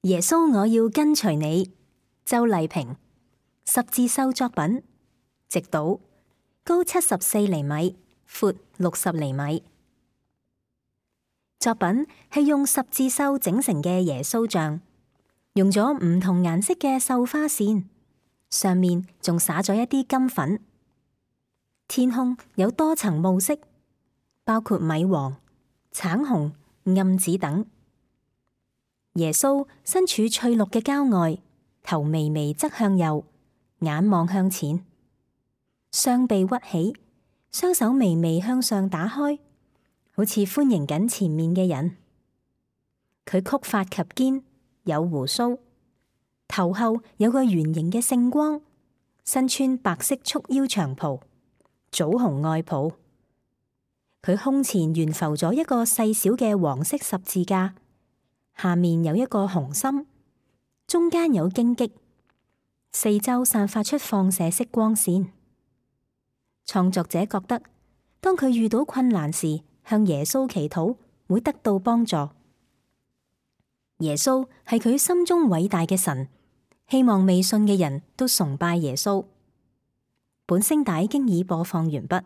耶穌，我要跟隨你。周麗萍，十字繡作品，直倒，高74厘米，闊60厘米。作品係用十字繡整成嘅耶穌像，用咗唔同顏色嘅繡花線，上面仲灑咗一啲金粉。天空有多層霧色，包括米黃、橙紅、暗紫等。耶穌身處翠綠嘅郊外，頭微微側向右，眼望向前，雙臂屈起，雙手微微向上打開，好似歡迎緊前面嘅人。佢曲髮及肩，有鬍鬚，頭後有個圓形嘅聖光，身穿白色束腰長袍，棗紅外袍。佢胸前懸浮咗一個細小嘅黃色十字架，下面有一個紅心，中間有荊棘，四周散發出放射式光線。創作者覺得，當佢遇到困難時，向耶穌祈禱會得到幫助。耶穌係佢心中偉大嘅神，希望未信嘅人都崇拜耶穌。本聲帶經已播放完畢。